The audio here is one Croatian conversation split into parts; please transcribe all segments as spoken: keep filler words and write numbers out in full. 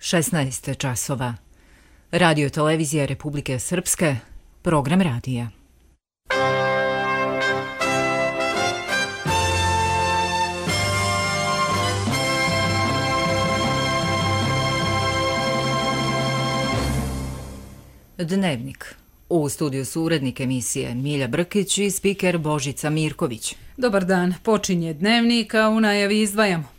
šesnaest časova. Radio televizija Republike Srpske, program radija. Dnevnik. U studiju su urednik emisije Milja Brkić i spiker Božica Mirković. Dobar dan, počinje Dnevnik, a u najavi izdvajamo.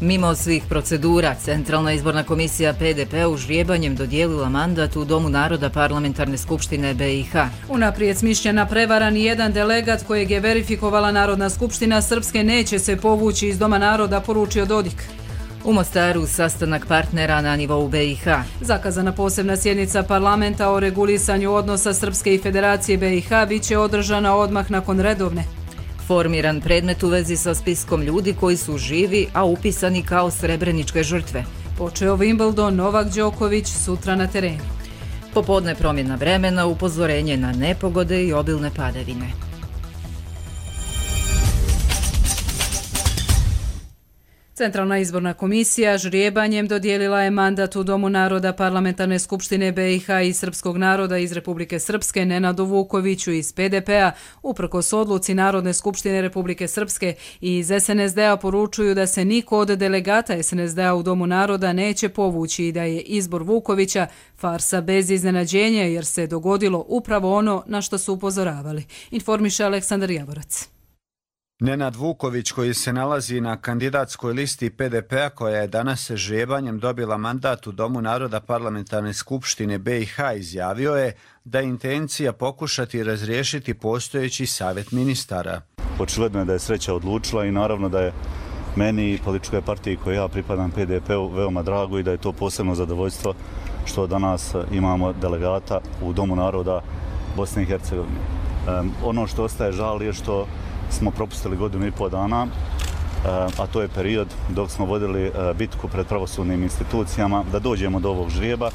Mimo svih procedura, Centralna izborna komisija P D P-u ždrijebanjem dodijelila mandat u Domu naroda Parlamentarne skupštine B i H. Unaprijed smišljena prevara, ni jedan delegat kojeg je verifikovala Narodna skupština Srpske neće se povući iz Doma naroda, poručio Dodik. U Mostaru sastanak partnera na nivou B i H. Zakazana posebna sjednica parlamenta o regulisanju odnosa Srpske i Federacije B i H biće održana odmah nakon redovne. Formiran predmet u vezi sa spiskom ljudi koji su živi, a upisani kao srebreničke žrtve. Počeo Wimbledon, Novak Đoković sutra na terenu. Popodne promjena vremena, upozorenje na nepogode i obilne padavine. Centralna izborna komisija ždrijebanjem dodijelila je mandat u Domu naroda Parlamentarne skupštine B i H i Srpskog naroda iz Republike Srpske Nenadu Vukoviću iz P D P-a, uprkos odluci Narodne skupštine Republike Srpske, i iz S N S D-a poručuju da se niko od delegata S N S D-a u Domu naroda neće povući i da je izbor Vukovića farsa bez iznenađenja jer se dogodilo upravo ono na što su upozoravali, informiše Aleksandar Javorac. Nenad Vuković, koji se nalazi na kandidatskoj listi P D P-a koja je danas ždrijebanjem dobila mandat u Domu naroda Parlamentarne skupštine B i H, izjavio je da je intencija pokušati razriješiti postojeći savjet ministara. Očigledno je da je sreća odlučila i naravno da je meni i političkoj partiji koje ja pripadam P D P-u veoma drago i da je to posebno zadovoljstvo što danas imamo delegata u Domu naroda Bosne i Hercegovine. Um, ono što ostaje žal je što smo propustili godinu i pol dana, a to je period dok smo vodili bitku pred pravosudnim institucijama da dođemo do ovog ždrijeba,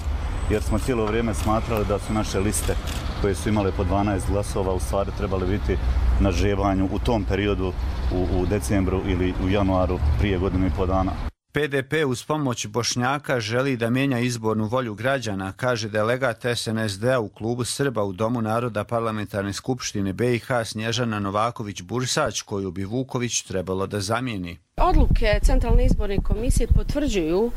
jer smo cijelo vrijeme smatrali da su naše liste koje su imale po dvanaest glasova u stvari trebali biti na ždrijebanju u tom periodu u, u decembru ili u januaru prije godinu i pol dana. P D P uz pomoć Bošnjaka želi da mijenja izbornu volju građana, kaže delegat S N S D-a u klubu Srba u Domu naroda Parlamentarne skupštine B i H Snježana Novaković-Bursać, koju bi Vuković trebalo da zamijeni. Odluke Centralne izborne komisije potvrđuju uh,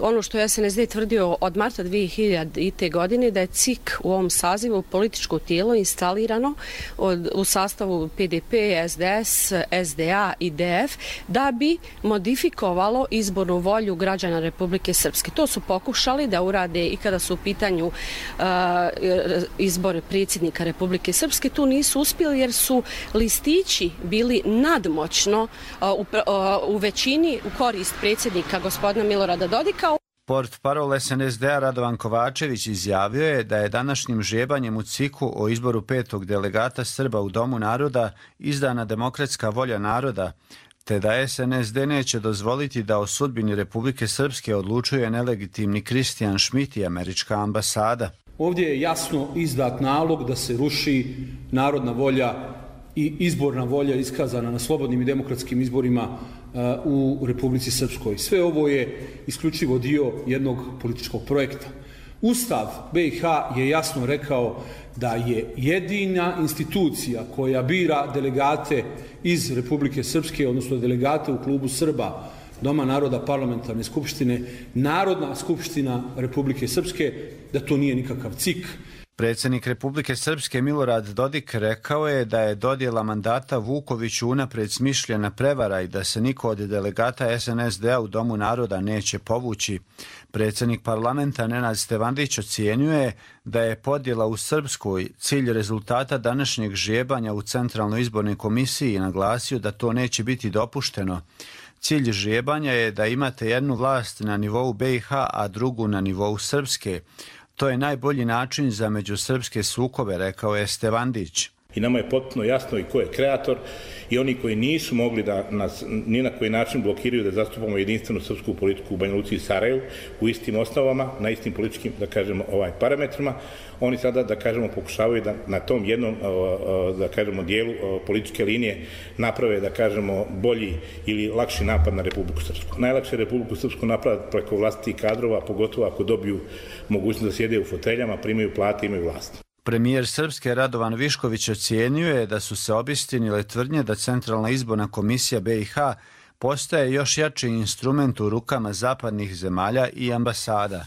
ono što je S N S D tvrdio od marta dvije hiljadite. godine, da je C I K u ovom sazivu političko tijelo instalirano od, u sastavu P D P, S D S, S D A i D F da bi modifikovalo izbornu volju građana Republike Srpske. To su pokušali da urade i kada su u pitanju uh, izbor predsjednika Republike Srpske. Tu nisu uspjeli jer su listići bili nadmoćno U, u većini u korist predsjednika gospodina Milorada Dodika. Portparol S N S D-a Radovan Kovačević izjavio je da je današnjim ždrijebanjem u C I K-u o izboru petog delegata Srba u Domu naroda izdana demokratska volja naroda, te da S N S D neće dozvoliti da o sudbini Republike Srpske odlučuje nelegitimni Kristijan Šmit i američka ambasada. Ovdje je jasno izdat nalog da se ruši narodna volja i izborna volja iskazana na slobodnim i demokratskim izborima uh, u Republici Srpskoj. Sve ovo je isključivo dio jednog političkog projekta. Ustav B i H je jasno rekao da je jedina institucija koja bira delegate iz Republike Srpske, odnosno delegate u klubu Srba Doma naroda Parlamentarne skupštine, Narodna skupština Republike Srpske, da to nije nikakav C I K. Predsjednik Republike Srpske Milorad Dodik rekao je da je dodjela mandata Vukoviću unaprijed smišljena prevara i da se niko od delegata S N S D-a u Domu naroda neće povući. Predsjednik parlamenta Nenad Stevandić ocjenjuje da je podjela u Srpskoj cilj rezultata današnjeg ždrijebanja u Centralnoj izbornoj komisiji i naglasio da to neće biti dopušteno. Cilj ždrijebanja je da imate jednu vlast na nivou B i H, a drugu na nivou Srpske. To je najbolji način za međusrpske sukobe, rekao je Stevandić. I nama je potpuno jasno i ko je kreator i oni koji nisu mogli da nas ni na koji način blokiraju da zastupamo jedinstvenu srpsku politiku u Banja Luci i Sarajevu u istim osnovama, na istim političkim, da kažemo, ovaj parametrima, oni sada, da kažemo, pokušavaju da na tom jednom, da kažemo, dijelu političke linije naprave, da kažemo, bolji ili lakši napad na Republiku Srpsku. Najlakše Republiku Srpsku napraviti preko vlastitih kadrova, pogotovo ako dobiju mogućnost da sjede u foteljama, primaju plate i imaju vlast. Premijer Srpske Radovan Višković ocijenio je da su se obistinile tvrdnje da Centralna izborna komisija B i H postaje još jači instrument u rukama zapadnih zemalja i ambasada.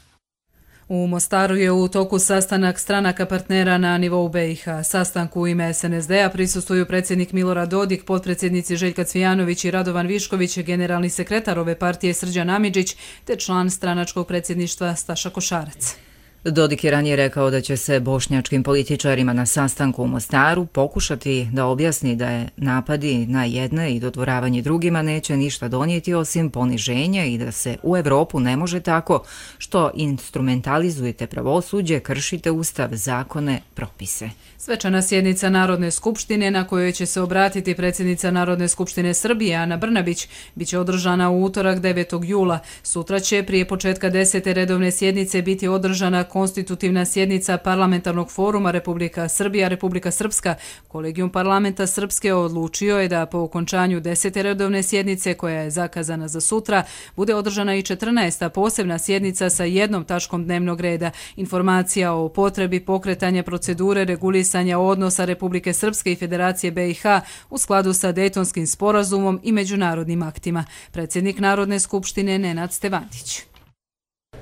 U Mostaru je u toku sastanak stranaka partnera na nivou B i H. Sastanku u ime S N S D-a prisustvuju predsjednik Milorad Dodik, potpredsjednici Željka Cvijanović i Radovan Višković, generalni sekretar ove partije Srđan Amidžić te član stranačkog predsjedništva Staša Košarac. Dodik je ranije rekao da će se bošnjačkim političarima na sastanku u Mostaru pokušati da objasni da je napadi na jedne i dodvoravanje drugima neće ništa donijeti osim poniženja i da se u Evropu ne može tako što instrumentalizujete pravosuđe, kršite ustav, zakone, propise. Svečana sjednica Narodne skupštine na kojoj će se obratiti predsjednica Narodne skupštine Srbije Ana Brnabić biće održana u utorak devetog jula. Sutra će prije početka desete redovne sjednice biti održana konstitutivna sjednica Parlamentarnog foruma Republika Srbija, Republika Srpska. Kolegijum parlamenta Srpske odlučio je da po okončanju desete redovne sjednice, koja je zakazana za sutra, bude održana i četrnaesta posebna sjednica sa jednom tačkom dnevnog reda. Informacija o potrebi pokretanja procedure regulisanja odnosa Republike Srpske i Federacije B i H u skladu sa Dejtonskim sporazumom i međunarodnim aktima. Predsjednik Narodne skupštine Nenad Stevandić.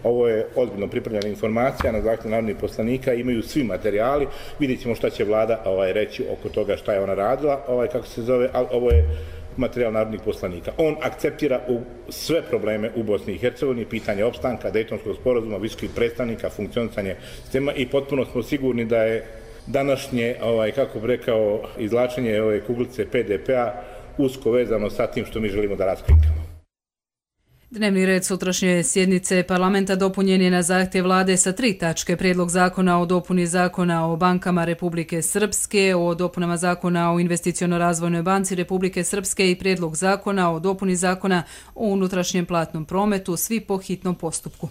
Ovo je ozbiljno pripremljena informacija na zahtjev narodnih poslanika, imaju svi materijali, vidjet ćemo šta će vlada ovaj, reći oko toga šta je ona radila, ovaj, kako se zove, ali ovo je materijal narodnih poslanika. On akceptira u sve probleme u Bosni i Hercegovini, pitanje opstanka, Dejtonskog sporazuma, visokih predstavnika, funkcionisanje sistema i potpuno smo sigurni da je današnje, ovaj, kako bi rekao, izvlačenje ove kuglice P D P-a usko vezano sa tim što mi želimo da raskrinkamo. Dnevni red sutrašnje sjednice parlamenta dopunjen je na zahtjev vlade sa tri tačke: prijedlog zakona o dopuni zakona o bankama Republike Srpske, o dopunama zakona o investiciono-razvojnoj banci Republike Srpske i prijedlog zakona o dopuni zakona o unutrašnjem platnom prometu, svi po hitnom postupku.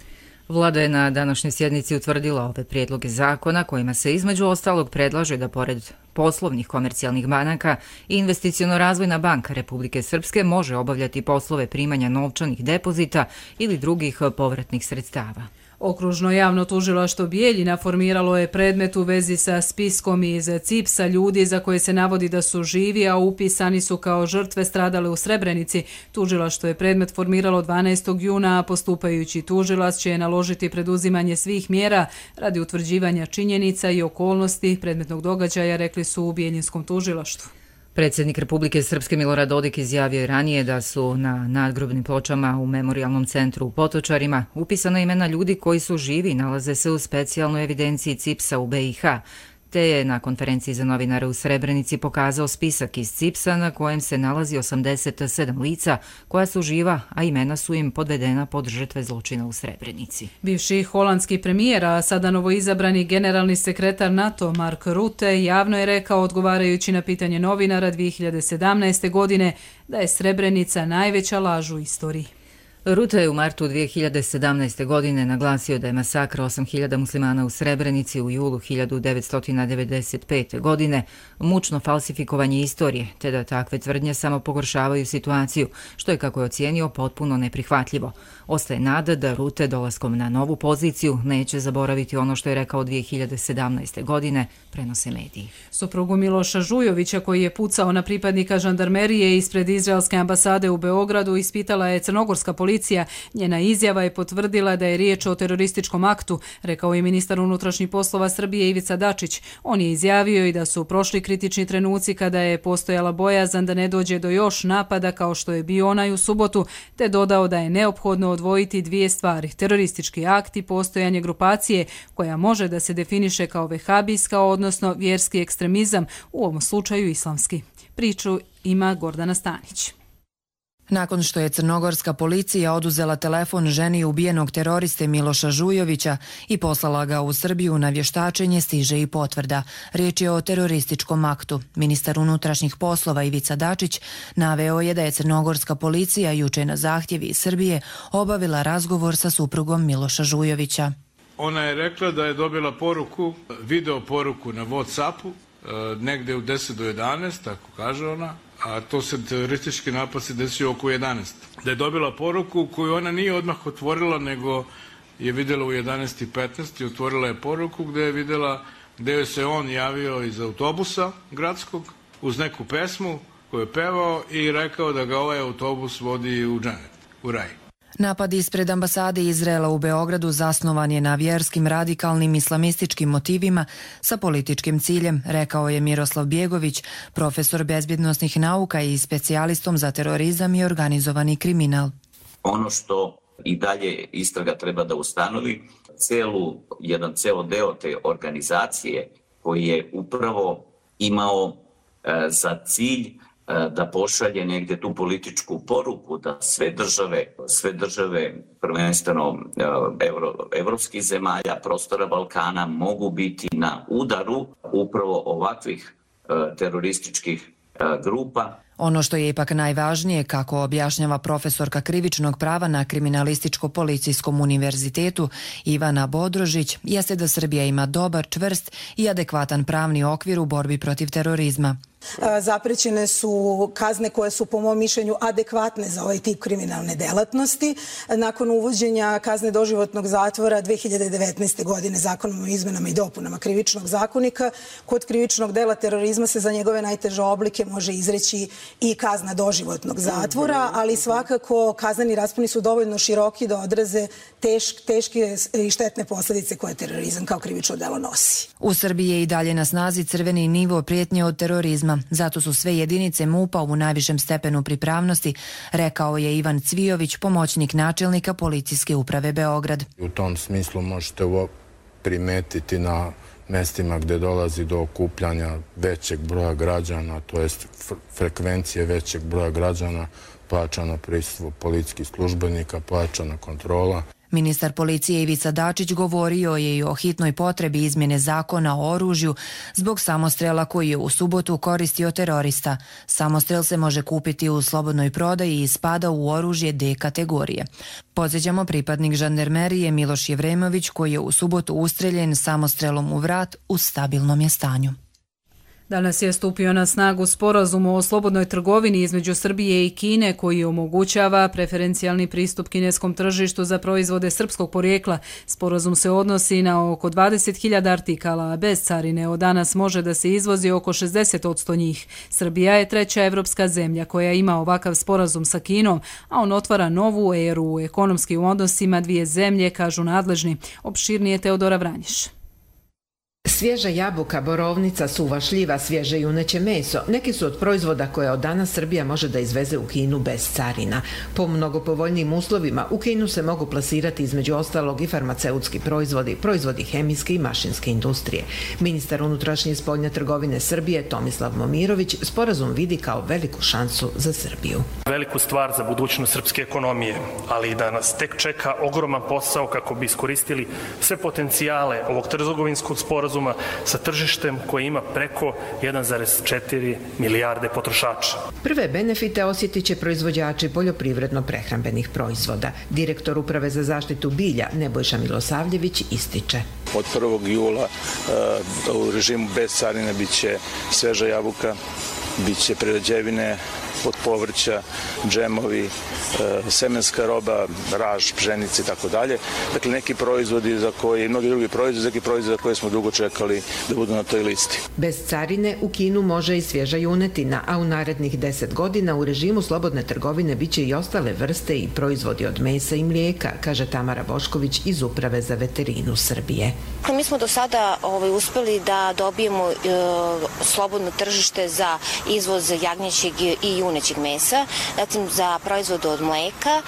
Vlada je na današnjoj sjednici utvrdila ove prijedloge zakona kojima se između ostalog predlaže da pored poslovnih komercijalnih banaka i investiciono-razvojna banka Republike Srpske može obavljati poslove primanja novčanih depozita ili drugih povratnih sredstava. Okružno javno tužilaštvo Bijeljina formiralo je predmet u vezi sa spiskom iz C I P S-a ljudi za koje se navodi da su živi, a upisani su kao žrtve stradale u Srebrenici. Tužilaštvo je predmet formiralo dvanaestog juna, a postupajući tužilac će naložiti preduzimanje svih mjera radi utvrđivanja činjenica i okolnosti predmetnog događaja, rekli su u Bijeljinskom tužilaštvu. Predsjednik Republike Srpske Milorad Dodik izjavio je ranije da su na nadgrobnim pločama u Memorijalnom centru u Potočarima upisana imena ljudi koji su živi i nalaze se u specijalnoj evidenciji C I P S-a u B i H, te je na konferenciji za novinare u Srebrenici pokazao spisak iz C I P S-a na kojem se nalazi osamdeset sedam lica koja su živa, a imena su im podvedena pod žrtve zločina u Srebrenici. Bivši holandski premijer, a sada novoizabrani generalni sekretar NATO Mark Rutte javno je rekao, odgovarajući na pitanje novinara dvije hiljade sedamnaeste. godine, da je Srebrenica najveća laž u istoriji. Rutte je u martu dvije hiljade sedamnaeste. godine naglasio da je masakr osam hiljada muslimana u Srebrenici u julu hiljadu devetsto devedeset pete. godine mučno falsifikovanje istorije, te da takve tvrdnje samo pogoršavaju situaciju, što je, kako je ocijenio, potpuno neprihvatljivo. Ostaje nada da Rutte dolaskom na novu poziciju neće zaboraviti ono što je rekao dvije hiljade sedamnaeste. godine, prenose mediji. Suprugu Miloša Žujovića, koji je pucao na pripadnika žandarmerije ispred izraelske ambasade u Beogradu, ispitala je crnogorska policija. Njena izjava je potvrdila da je riječ o terorističkom aktu, rekao je ministar unutrašnjih poslova Srbije Ivica Dačić. On je izjavio i da su prošli kritični trenuci kada je postojala bojazan da ne dođe do još napada kao što je bio onaj u subotu, te dodao da je neophodno odvojiti dvije stvari: teroristički akt i postojanje grupacije koja može da se definiše kao vehabijska, odnosno vjerski ekstremizam, u ovom slučaju islamski. Priču ima Gordana Stanić. Nakon što je crnogorska policija oduzela telefon ženi ubijenog teroriste Miloša Žujovića i poslala ga u Srbiju na vještačenje, stiže i potvrda. Riječ je o terorističkom aktu. Ministar unutrašnjih poslova Ivica Dačić naveo je da je crnogorska policija juče na zahtjev iz Srbije obavila razgovor sa suprugom Miloša Žujovića. Ona je rekla da je dobila poruku, video poruku na WhatsAppu, negde u deset do jedanaest, tako kaže ona, a to se teroristički napad se desio oko jedanaest. Da je dobila poruku koju ona nije odmah otvorila, nego je vidjela u jedanaest i petnaest i otvorila je poruku gdje je vidjela gdje je se on javio iz autobusa gradskog uz neku pesmu koju je pevao i rekao da ga ovaj autobus vodi u dženet, u raj. Napad ispred ambasade Izraela u Beogradu zasnovan je na vjerskim radikalnim islamističkim motivima sa političkim ciljem, rekao je Miroslav Bjegović, profesor bezbjednosnih nauka i specijalistom za terorizam i organizovani kriminal. Ono što i dalje istraga treba da ustanovi, celu, jedan ceo deo te organizacije koji je upravo imao e, za cilj da pošalje negdje tu političku poruku da sve države, sve države prvenstveno evro, evropskih zemalja, prostora Balkana mogu biti na udaru upravo ovakvih terorističkih grupa. Ono što je ipak najvažnije, kako objašnjava profesorka krivičnog prava na Kriminalističko-policijskom univerzitetu Ivana Bodrožić, jeste da Srbija ima dobar, čvrst i adekvatan pravni okvir u borbi protiv terorizma. Zaprećene su kazne koje su po mom mišljenju adekvatne za ovaj tip kriminalne delatnosti. Nakon uvođenja kazne doživotnog zatvora dve hiljade devetnaeste. godine zakonom o izmenama i dopunama krivičnog zakonika, kod krivičnog dela terorizma se za njegove najteže oblike može izreći i kazna doživotnog zatvora, ali svakako kazneni rasponi su dovoljno široki da odraze tešk, teške i štetne posljedice koje terorizam kao krivično delo nosi. U Srbiji je i dalje na snazi crveni nivo prijetnje od terorizma. Zato su sve jedinice M U P-a u najvišem stepenu pripravnosti, rekao je Ivan Cvijović, pomoćnik načelnika Policijske uprave Beograd. U tom smislu možete primetiti na mestima gdje dolazi do okupljanja većeg broja građana, to jest frekvencije većeg broja građana, pojačano prisustvo policijskih službenika, pojačana kontrola. Ministar policije Ivica Dačić govorio je i o hitnoj potrebi izmjene zakona o oružju zbog samostrela koji je u subotu koristio terorista. Samostrel se može kupiti u slobodnoj prodaji i spada u oružje D kategorije. Podsjećamo, pripadnik žandarmerije Miloš Jevremović, koji je u subotu ustreljen samostrelom u vrat, u stabilnom je stanju. Danas je stupio na snagu sporazum o slobodnoj trgovini između Srbije i Kine koji omogućava preferencijalni pristup kineskom tržištu za proizvode srpskog porijekla. Sporazum se odnosi na oko dvadeset hiljada artikala, a bez carine od danas može da se izvozi oko šezdeset posto njih. Srbija je treća evropska zemlja koja ima ovakav sporazum sa Kinom, a on otvara novu eru u ekonomskim odnosima dvije zemlje, kažu nadležni. Opširnije Teodora Vranješ. Svježa jabuka, borovnica, suva šljiva, svježe juneće meso, neki su od proizvoda koje od danas Srbija može da izveze u Kinu bez carina. Po mnogo povoljnijim uslovima u Kinu se mogu plasirati između ostalog i farmaceutski proizvodi, proizvodi hemijske i mašinske industrije. Ministar unutrašnje i spoljne trgovine Srbije Tomislav Momirović sporazum vidi kao veliku šansu za Srbiju. Veliku stvar za budućnost srpske ekonomije, ali i da nas tek čeka ogroman posao kako bi iskoristili sve potencijale ovog trgovinskog sporazuma sa tržištem koje ima preko jedan zarez četiri milijarde potrošača. Prve benefite osjetit će proizvođači poljoprivredno-prehrambenih proizvoda. Direktor Uprave za zaštitu bilja Nebojša Milosavljević ističe. Od prvog jula u režimu bez carine biće sveža jabuka, biće prerađevine od povrća, džemovi, semenska roba, raž, pšenice i tako dalje. Dakle, neki proizvodi za koje, mnogi drugi proizvodi, neki proizvodi za koje smo dugo čekali da budu na toj listi. Bez carine u Kinu može i svježa junetina, a u narednih deset godina u režimu slobodne trgovine biće i ostale vrste i proizvodi od mesa i mlijeka, kaže Tamara Bošković iz Uprave za veterinu Srbije. Mi smo do sada ovaj, uspeli da dobijemo e, slobodno tržište za izvoz jagnjećeg i junećeg mesa, zatim za proizvode od mleka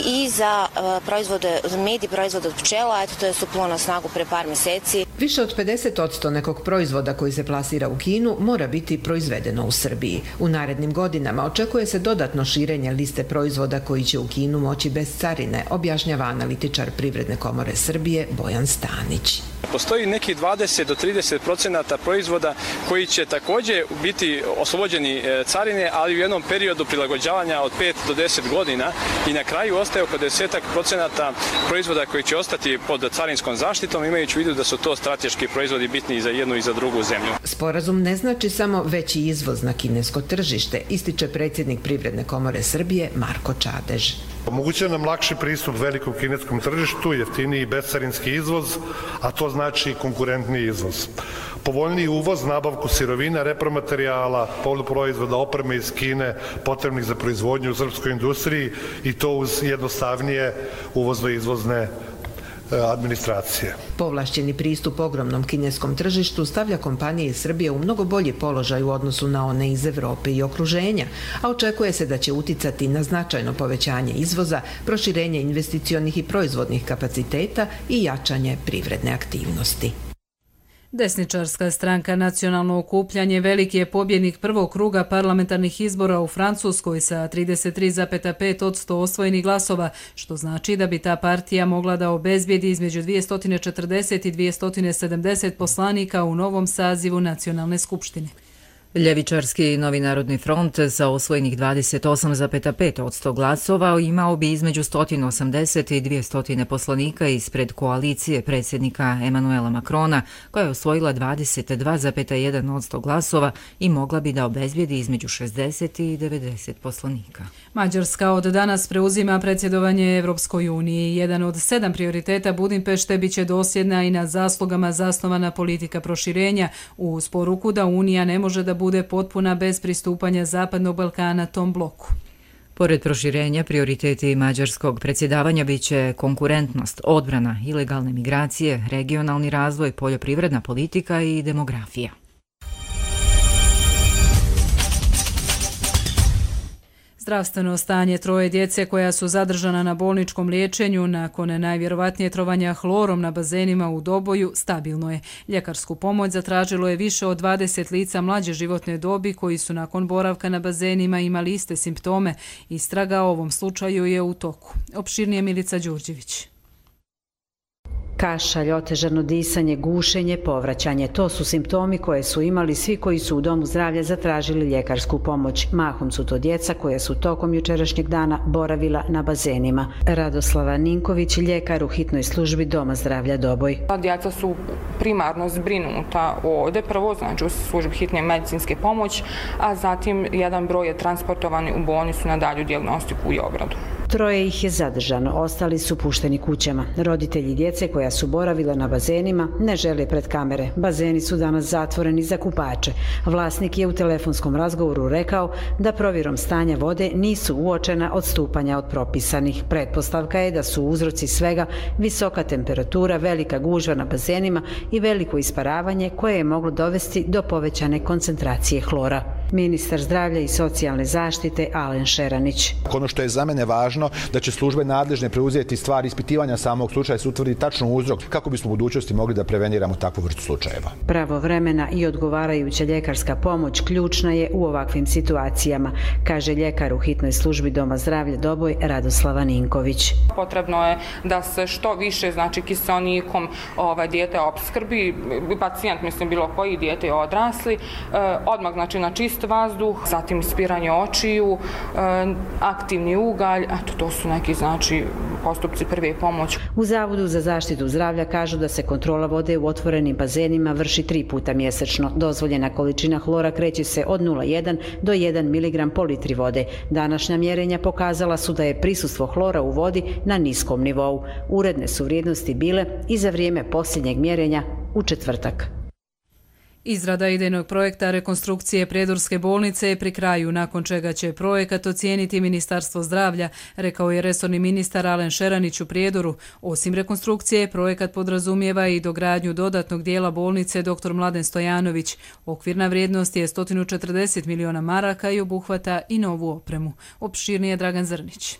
i za proizvode od med i proizvode od pčela. Eto, to je stupilo na snagu pre par meseci. Više od pedeset posto nekog proizvoda koji se plasira u Kinu mora biti proizvedeno u Srbiji. U narednim godinama očekuje se dodatno širenje liste proizvoda koji će u Kinu moći bez carine, objašnjava analitičar Privredne komore Srbije Bojan Stanić. Postoji neki dvadeset do trideset procenata proizvoda koji će također biti oslobođeni carine, ali u jednom periodu prilagođavanja od pet do deset godina i na kraju ostaje oko deset procenata proizvoda koji će ostati pod carinskom zaštitom, imajući u vidu da su to strateški proizvodi bitni i za jednu i za drugu zemlju. Sporazum ne znači samo veći izvoz na kinesko tržište, ističe predsjednik Privredne komore Srbije Marko Čadež. Omogućuje nam lakši pristup velikom kineskom tržištu, jeftiniji bescarinski izvoz, a to znači konkurentniji izvoz. Povoljniji uvoz, nabavku sirovina, repromaterijala, poluproizvoda, opreme iz Kine potrebnih za proizvodnju u srpskoj industriji i to uz jednostavnije uvozno-izvozne administracije. Povlašćeni pristup ogromnom kineskom tržištu stavlja kompanije iz Srbije u mnogo bolji položaj u odnosu na one iz Evrope i okruženja, a očekuje se da će uticati na značajno povećanje izvoza, proširenje investicionih i proizvodnih kapaciteta i jačanje privredne aktivnosti. Desničarska stranka Nacionalno okupljanje veliki je pobjednik prvog kruga parlamentarnih izbora u Francuskoj sa trideset tri zarez pet posto osvojenih glasova, što znači da bi ta partija mogla da obezbijedi između dvjesto četrdeset i dvjesto sedamdeset poslanika u novom sazivu Nacionalne skupštine. Ljevičarski Novi narodni front sa osvojenih dvadeset osam zarez pet posto glasova imao bi između sto osamdeset i dvjesto poslanika ispred koalicije predsjednika Emanuela Makrona, koja je osvojila dvadeset dva zarez jedan posto glasova i mogla bi da obezbijedi između šezdeset i devedeset poslanika. Mađarska od danas preuzima predsjedovanje Evropskoj uniji. Jedan od sedam prioriteta Budimpešte biće dosljedna i na zaslugama zasnovana politika proširenja, uz poruku da Unija ne može da bude potpuna bez pristupanja Zapadnog Balkana tom bloku. Pored proširenja, prioriteti mađarskog predsjedavanja biće konkurentnost, odbrana, ilegalne migracije, regionalni razvoj, poljoprivredna politika i demografija. Zdravstveno stanje troje djece koja su zadržana na bolničkom liječenju nakon najvjerovatnije trovanja hlorom na bazenima u Doboju stabilno je. Ljekarsku pomoć zatražilo je više od dvadeset lica mlađe životne dobi koji su nakon boravka na bazenima imali iste simptome. Istraga o ovom slučaju je u toku. Opširnije Milica Đurđević. Kašalj, otežano disanje, gušenje, povraćanje. To su simptomi koje su imali svi koji su u domu zdravlja zatražili ljekarsku pomoć. Mahom su to djeca koja su tokom jučerašnjeg dana boravila na bazenima. Radoslava Ninković, ljekar u hitnoj službi Doma zdravlja Doboj. Djeca su primarno zbrinuta ovdje, prvo znači u službi hitne medicinske pomoći, a zatim jedan broj je transportovan u bolnicu na dalju dijagnostiku i obradu. Troje ih je zadržano, ostali su pušteni kućama. Roditelji djece koja su boravila na bazenima ne žele pred kamere. Bazeni su danas zatvoreni za kupače. Vlasnik je u telefonskom razgovoru rekao da provjerom stanja vode nisu uočena odstupanja od propisanih. Pretpostavka je da su uzroci svega visoka temperatura, velika gužva na bazenima i veliko isparavanje koje je moglo dovesti do povećane koncentracije hlora. Ministar zdravlja i socijalne zaštite Alen Šeranić. Ono što je za mene važno, da će službe nadležne preuzeti stvar ispitivanja samog slučaja, se utvrdi tačno uzrok kako bismo u budućnosti mogli da preveniramo takvu vrstu slučajeva. Pravovremena i odgovarajuća ljekarska pomoć ključna je u ovakvim situacijama, kaže ljekar u hitnoj službi Doma zdravlja Doboj Radoslava Ninković. Potrebno je da se što više znači kiseonikom ovaj dijete opskrbi, pacijent mislim bilo koji dijete odrasli, odmah znači na čist vazduh, zatim ispiranje očiju, aktivni ugalj, eto to su neki znači postupci prve pomoći. U Zavodu za zaštitu zdravlja kažu da se kontrola vode u otvorenim bazenima vrši tri puta mjesečno. Dozvoljena količina hlora kreće se od nula zarez jedan do jedan miligram po litri vode. Današnja mjerenja pokazala su da je prisustvo hlora u vodi na niskom nivou. Uredne su vrijednosti bile i za vrijeme posljednjeg mjerenja u četvrtak. Izrada idejnog projekta rekonstrukcije Prijedorske bolnice je pri kraju, nakon čega će projekat ocijeniti Ministarstvo zdravlja, rekao je resorni ministar Alen Šeranić u Prijedoru. Osim rekonstrukcije, projekat podrazumijeva i dogradnju dodatnog dijela bolnice dr Mladen Stojanović. Okvirna vrijednost je sto četrdeset miliona maraka i obuhvata i novu opremu. Opširnije Dragan Zrnić.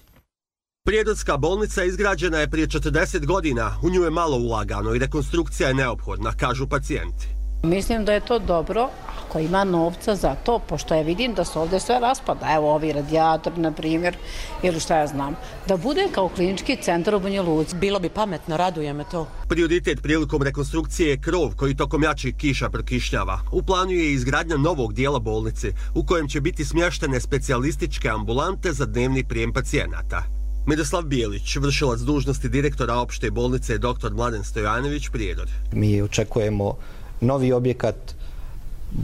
Prijedorska bolnica izgrađena je prije četrdeset godina, u nju je malo ulagano i rekonstrukcija je neophodna, kažu pacijenti. Mislim da je to dobro ako ima novca za to, pošto ja vidim da se ovdje sve raspada. Evo ovi radijator, na primjer, ili šta ja znam. Da bude kao klinički centar u Banja Luci. Bilo bi pametno, raduje me to. Prioritet prilikom rekonstrukcije je krov koji tokom jačih kiša prokišnjava. U planu je izgradnja novog dijela bolnice, u kojem će biti smještene specijalističke ambulante za dnevni prijem pacijenata. Miroslav Bijelić, vršilac dužnosti direktora opšte bolnice dr Mladen Stojanović, Prijedor. Mi očekujemo novi objekat,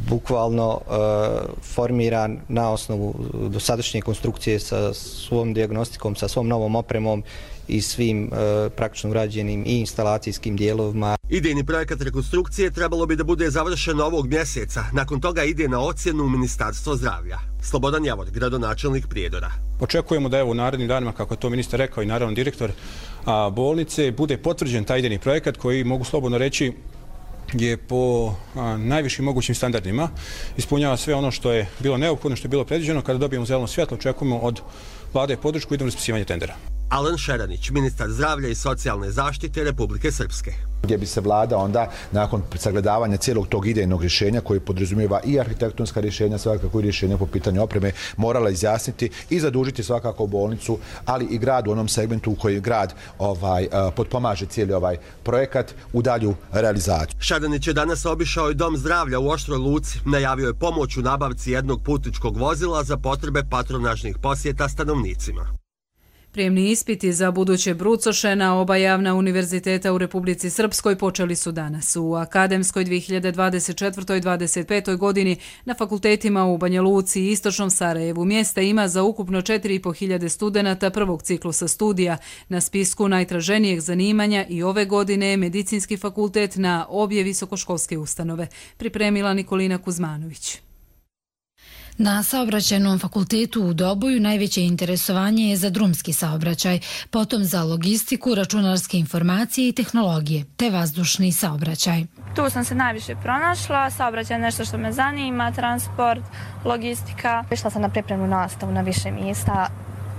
bukvalno e, formiran na osnovu dosadašnje konstrukcije sa svom dijagnostikom, sa svom novom opremom i svim e, praktično urađenim i instalacijskim dijelovima. Idejni projekat rekonstrukcije trebalo bi da bude završen ovog mjeseca. Nakon toga ide na ocjenu u Ministarstvo zdravlja. Slobodan Javor, gradonačelnik Prijedora. Očekujemo da evo u narednim danima, kako je to ministar rekao i naravno direktor a, bolnice, bude potvrđen taj idejni projekat koji, mogu slobodno reći, je po a, najvišim mogućim standardima, ispunjava sve ono što je bilo neophodno, što je bilo predviđeno. Kada dobijemo zeleno svjetlo, očekujemo od vlade podršku i idemo raspisivanje tendera. Alen Šeranić, ministar zdravlja i socijalne zaštite Republike Srpske. Gdje bi se vlada onda, nakon sagledavanja cijelog tog idejnog rješenja, koji podrazumijeva i arhitektonska rješenja, svakako i rješenja po pitanju opreme, morala izjasniti i zadužiti svakako bolnicu, ali i grad u onom segmentu u koji grad ovaj, potpomaže cijeli ovaj projekat u dalju realizaciju. Šeranić je danas obišao i dom zdravlja u Oštroj Luci. Najavio je pomoć u nabavci jednog putničkog vozila za potrebe patronažnih posjeta stanovnicima. Prijemni ispiti za buduće brucoše na oba javna univerziteta u Republici Srpskoj počeli su danas. U akademskoj dvije hiljade dvadeset četvrtoj dvadeset petoj godini na fakultetima u Banja Luci i Istočnom Sarajevu mjesta ima za ukupno četiri i po hiljade studenata prvog ciklusa studija. Na spisku najtraženijeg zanimanja i ove godine je Medicinski fakultet na obje visokoškolske ustanove. Pripremila Nikolina Kuzmanović. Na saobraćajnom fakultetu u Doboju najveće interesovanje je za drumski saobraćaj, potom za logistiku, računarske informacije i tehnologije, te vazdušni saobraćaj. Tu sam se najviše pronašla, saobraćaj je nešto što me zanima, transport, logistika. Išla sam na pripremnu nastavu na više mjesta,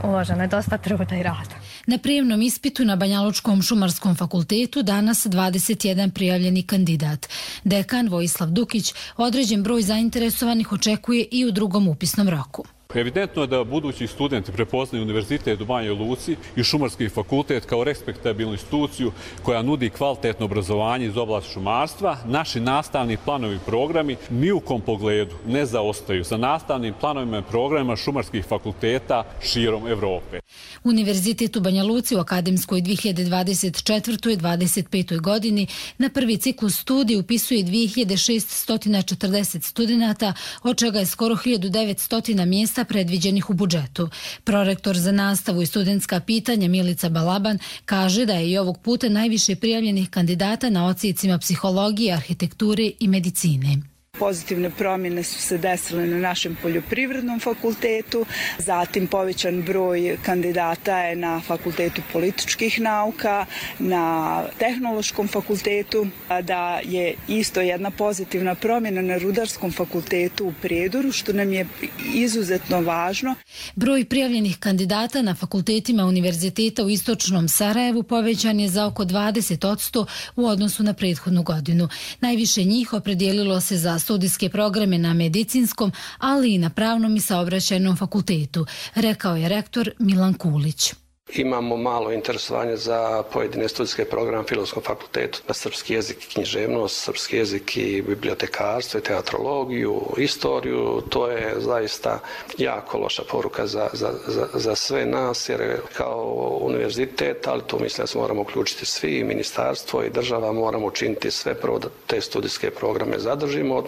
uloženo je dosta truda i rada. Na prijemnom ispitu na Banjalučkom šumarskom fakultetu danas dvadeset jedan prijavljeni kandidat. Dekan Vojislav Dukić određen broj zainteresovanih očekuje i u drugom upisnom roku. Evidentno je da budući studenti prepoznaju Univerzitet u Banjoj Luci i Šumarski fakultet kao respektabilnu instituciju koja nudi kvalitetno obrazovanje iz oblasti šumarstva. Naši nastavni planovi i programi ni u kom pogledu ne zaostaju za nastavnim planovima i programima šumarskih fakulteta širom Evrope. Univerzitet u Banja Luci u akademskoj dvije hiljade dvadeset četvrtoj dvadeset petoj godini na prvi ciklus studija upisuje dvije hiljade šessto četrdeset studenata, od čega je skoro hiljadu devetsto mjesta predviđenih u budžetu. Prorektor za nastavu i studentska pitanja Milica Balaban kaže da je i ovog puta najviše prijavljenih kandidata na odsjecima psihologije, arhitekture i medicine. Pozitivne promjene su se desile na našem poljoprivrednom fakultetu, zatim povećan broj kandidata je na fakultetu političkih nauka, na tehnološkom fakultetu, da je isto jedna pozitivna promjena na rudarskom fakultetu u Prijedoru, što nam je izuzetno važno. Broj prijavljenih kandidata na fakultetima univerziteta u Istočnom Sarajevu povećan je za oko dvadeset posto u odnosu na prethodnu godinu. Najviše njih opredijelilo se za studijske programe na medicinskom, ali i na pravnom i saobraćajnom fakultetu, rekao je rektor Milan Kulić. Imamo malo interesovanje za pojedine studijske programe na Filozofskom fakultetu, na srpski jezik i književnost, srpski jezik i bibliotekarstvo i teatrologiju, istoriju. To je zaista jako loša poruka za, za, za, za sve nas, jer kao univerzitet, ali tu mislim da se moramo uključiti svi, ministarstvo i država, moramo učiniti sve prvo da te studijske programe zadržimo.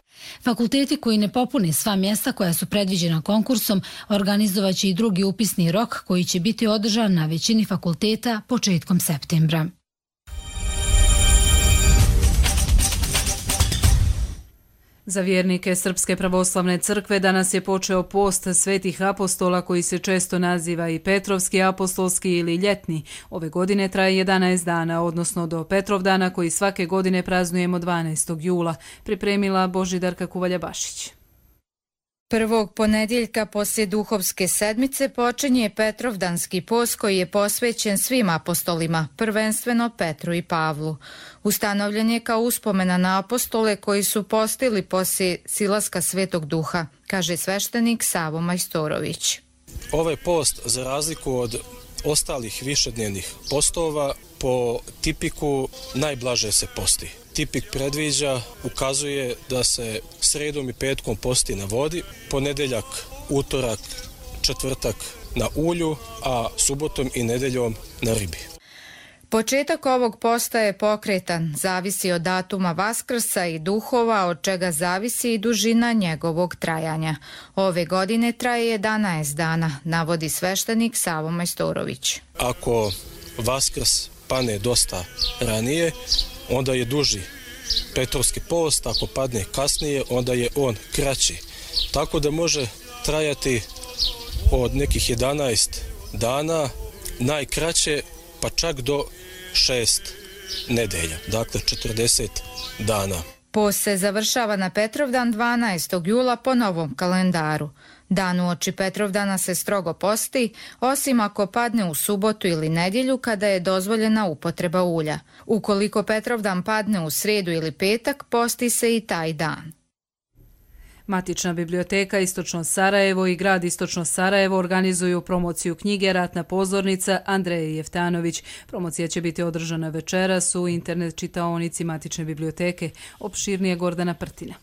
Fakulteti koji ne popune sva mjesta koja su predviđena konkursom organizovaće i drugi upisni rok koji će biti održan na većini fakulteta početkom septembra. Za vjernike Srpske pravoslavne crkve danas je počeo post svetih apostola koji se često naziva i Petrovski apostolski ili ljetni. Ove godine traje jedanaest dana, odnosno do Petrovdana koji svake godine praznujemo dvanaestog jula, pripremila Božidarka Kuvalja-Bašić. Prvog ponedjeljka poslije duhovske sedmice počinje Petrovdanski post koji je posvećen svim apostolima, prvenstveno Petru i Pavlu. Ustanovljen je kao uspomena na apostole koji su postili poslije silaska Svetog Duha, kaže sveštenik Savo Majstorović. Ovaj post, za razliku od ostalih višednevnih postova, po tipiku najblaže se posti. Tipik predviđa, ukazuje da se sredom i petkom posti na vodi, ponedjeljak, utorak, četvrtak na ulju, a subotom i nedeljom na ribi. Početak ovog posta je pokretan, zavisi od datuma Vaskrsa i duhova, od čega zavisi i dužina njegovog trajanja. Ove godine traje jedanaest dana, navodi sveštenik Savo Majstorović. Ako Vaskrs pane dosta ranije, onda je duži Petrovski post, ako padne kasnije, onda je on kraći. Tako da može trajati od nekih jedanaest dana, najkraće pa čak do šest nedelja, dakle četrdeset dana. Post se završava na Petrovdan dvanaestog jula po novom kalendaru. Dan uoči Petrovdana se strogo posti, osim ako padne u subotu ili nedjelju kada je dozvoljena upotreba ulja. Ukoliko Petrovdan padne u srijedu ili petak, posti se i taj dan. Matična biblioteka Istočno Sarajevo i grad Istočno Sarajevo organizuju promociju knjige Ratna pozornica Andreje Jeftanović. Promocija će biti održana večeras u internet čitaonici Matične biblioteke. Opširnije Gordana Prtina.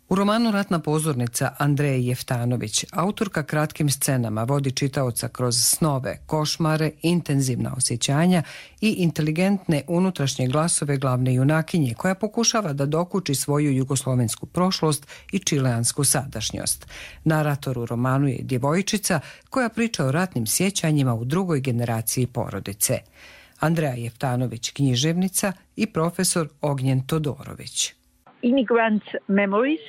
U romanu Ratna pozornica Andreje Jeftanović autorka kratkim scenama vodi čitaoca kroz snove, košmare, intenzivna osjećanja i inteligentne unutrašnje glasove glavne junakinje koja pokušava da dokuči svoju jugoslovensku prošlost i čileansku sadašnjost. Narator u romanu je djevojčica koja priča o ratnim sjećanjima u drugoj generaciji porodice. Andreja Jeftanović, književnica, i profesor Ognjen Todorović. Immigrant memories.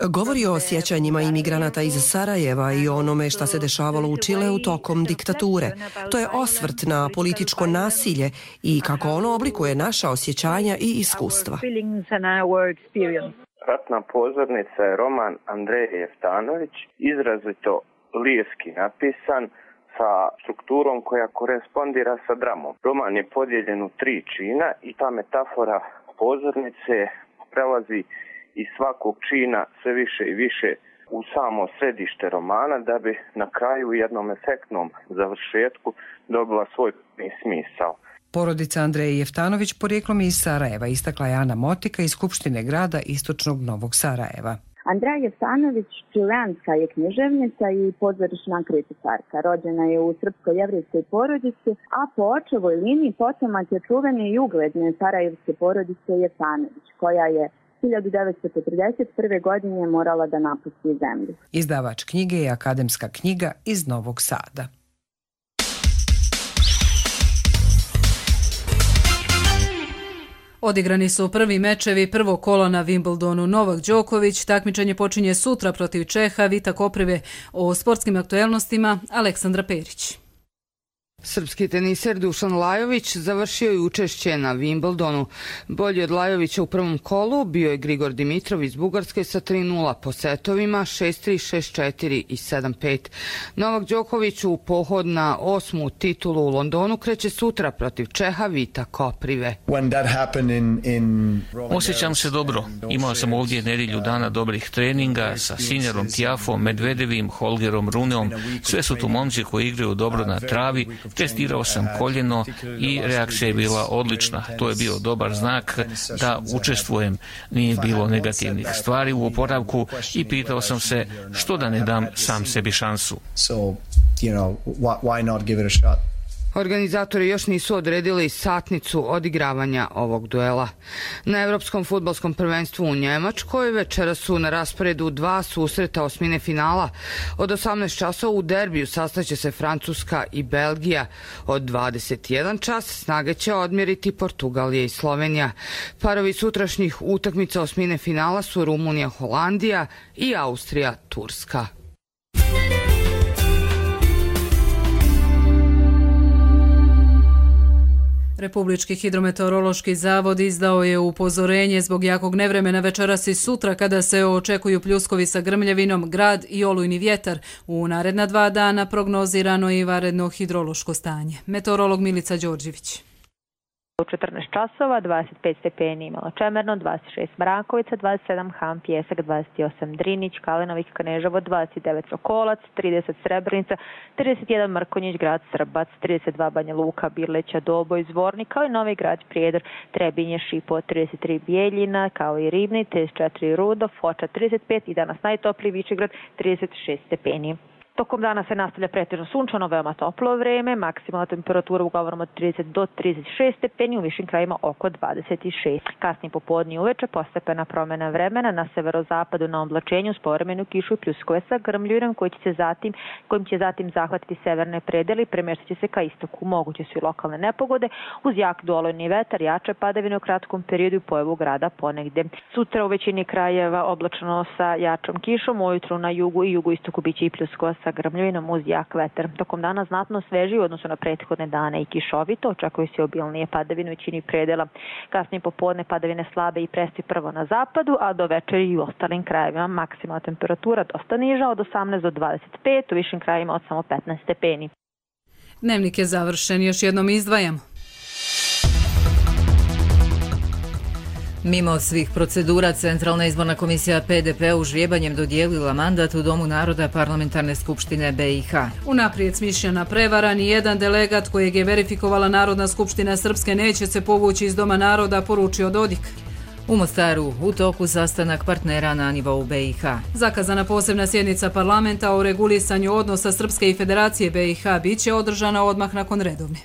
Govori o sjećanjima imigranata iz Sarajeva i onome šta se dešavalo u Čileu tokom diktature. To je osvrt na političko nasilje i kako ono oblikuje naša osjećanja i iskustva. Ratna pozornica je roman Andreje Jeftanović, izrazito lirski napisan, sa strukturom koja korespondira sa dramom. Roman je podijeljen u tri čina i ta metafora pozornice prelazi iz svakog čina sve više i više u samo središte romana da bi na kraju u jednom efektnom završetku dobila svoj smisao. Porodica Andreje Jeftanović porijeklom je iz Sarajeva, istakla je Ana Motika iz Skupštine grada Istočnog Novog Sarajeva. Andreja Jeftanović čileanska je književnica i pozorišna kritičarka. Rođena je u srpsko-jevrejskoj porodici, a po očevoj liniji potomak je čuvene i ugledne sarajevske porodice Jeftanović, koja je hiljadu devetsto četrdeset prve. godine morala da napusti zemlju. Izdavač knjige je Akademska knjiga iz Novog Sada. Odigrani su prvi mečevi prvog kola na Wimbledonu. Novak Đoković takmičenje počinje sutra protiv Čeha Vita Koprive. O sportskim aktuelnostima Aleksandra Perić. Srpski teniser Dušan Lajović završio je učešće na Wimbledonu. Bolji od Lajovića u prvom kolu bio je Grigor Dimitrov iz Bugarske sa tri nula po setovima šest tri, šest četiri i sedam pet. Novak Đoković u pohod na osmu titulu u Londonu kreće sutra protiv Čeha Vita Koprive. Osjećam se dobro. Imao sam ovdje nedjelju dana dobrih treninga sa Sinjarom Tiafom, Medvedevim, Holgerom Runeom. Sve su tu momci koji igraju dobro na travi. Testirao sam koljeno i reakcija je bila odlična. To je bio dobar znak da učestvujem. Nije bilo negativnih stvari u oporavku i pitao sam se što da ne dam sam sebi šansu. Organizatori još nisu odredili satnicu odigravanja ovog duela. Na Evropskom fudbalskom prvenstvu u Njemačkoj večera su na rasporedu dva susreta osmine finala. Od osamnaest časova u derbiju sastaće se Francuska i Belgija. Od dvadeset jedan čas snage će odmjeriti Portugalija i Slovenija. Parovi sutrašnjih utakmica osmine finala su Rumunija, Holandija i Austrija, Turska. Republički hidrometeorološki zavod izdao je upozorenje zbog jakog nevremena večeras i sutra kada se očekuju pljuskovi sa grmljavinom, grad i olujni vjetar. U naredna dva dana prognozirano i vanredno hidrološko stanje. Meteorolog Milica Đorđević. U četrnaest časova, dvadeset pet stepeni Malo Čemerno, dvadeset šest Mrakovica, dvadeset sedam Han Pjesak, dvadeset osam Drinić, Kalenovik, Kneževo, dvadeset devet Sokolac, trideset Srebrenica, trideset jedan Mrkonjić, grad Srbac, trideset dva Banja Luka, Birleća, Doboj, Zvornik, kao i Novi grad Prijedor, Trebinje, Šipo, trideset tri Bijeljina, kao i Ribni, trideset četiri Rudo, Foča trideset pet i danas najtopliji Višegrad trideset šest stepeni. Tokom dana se nastavlja pretežno sunčano, veoma toplo vreme, maksimalna temperatura uglavnom od trideset do trideset šest stepeni, u višim krajima oko dvadeset šest. Kasnije popodne i uveče postepena promjena vremena na severozapadu na oblačenju s povremenu kišu i pljuskove sa grmljurom koji će se zatim, kojim će zatim zahvatiti severne predeli i premještat će se ka istoku. Moguće su i lokalne nepogode uz jak dolojni vetar, jače padavine u kratkom periodu i pojavu grada ponegde. Sutra u većini krajeva oblačno sa jačom kišom, ujutru na jugu i jugoistoku biće i pljuskova sa grmljavinom uz jak vetar. Tokom dana znatno sveži u odnosu na prethodne dane i kišovito, očekuju se obilnije padavine u većini predela. Kasnije popodne padavine slabe i presti prvo na zapadu, a do večeri i u ostalim krajevima maksimalna temperatura dosta niža od osamnaest do dvadeset pet, u višim krajevima od samo petnaest stepeni. Dnevnik je završen, još jednom izdvajamo. Mimo svih procedura, Centralna izborna komisija P D P užrijebanjem dodijelila mandat u Domu naroda Parlamentarne skupštine B i H. Unaprijed smišljena prevara, ni jedan delegat kojeg je verifikovala Narodna skupština Srpske neće se povući iz Doma naroda, poručio Dodik. U Mostaru u toku sastanak partnera na nivou B i H. Zakazana posebna sjednica parlamenta o regulisanju odnosa Srpske i Federacije B i H bit će održana odmah nakon redovne.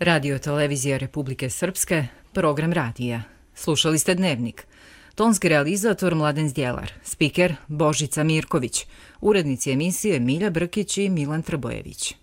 Radio televizija Republike Srpske, program radija. Slušali ste Dnevnik. Tonski realizator Mladen Zdjelar, spiker Božica Mirković, urednici emisije Milja Brkić i Milan Trbojević.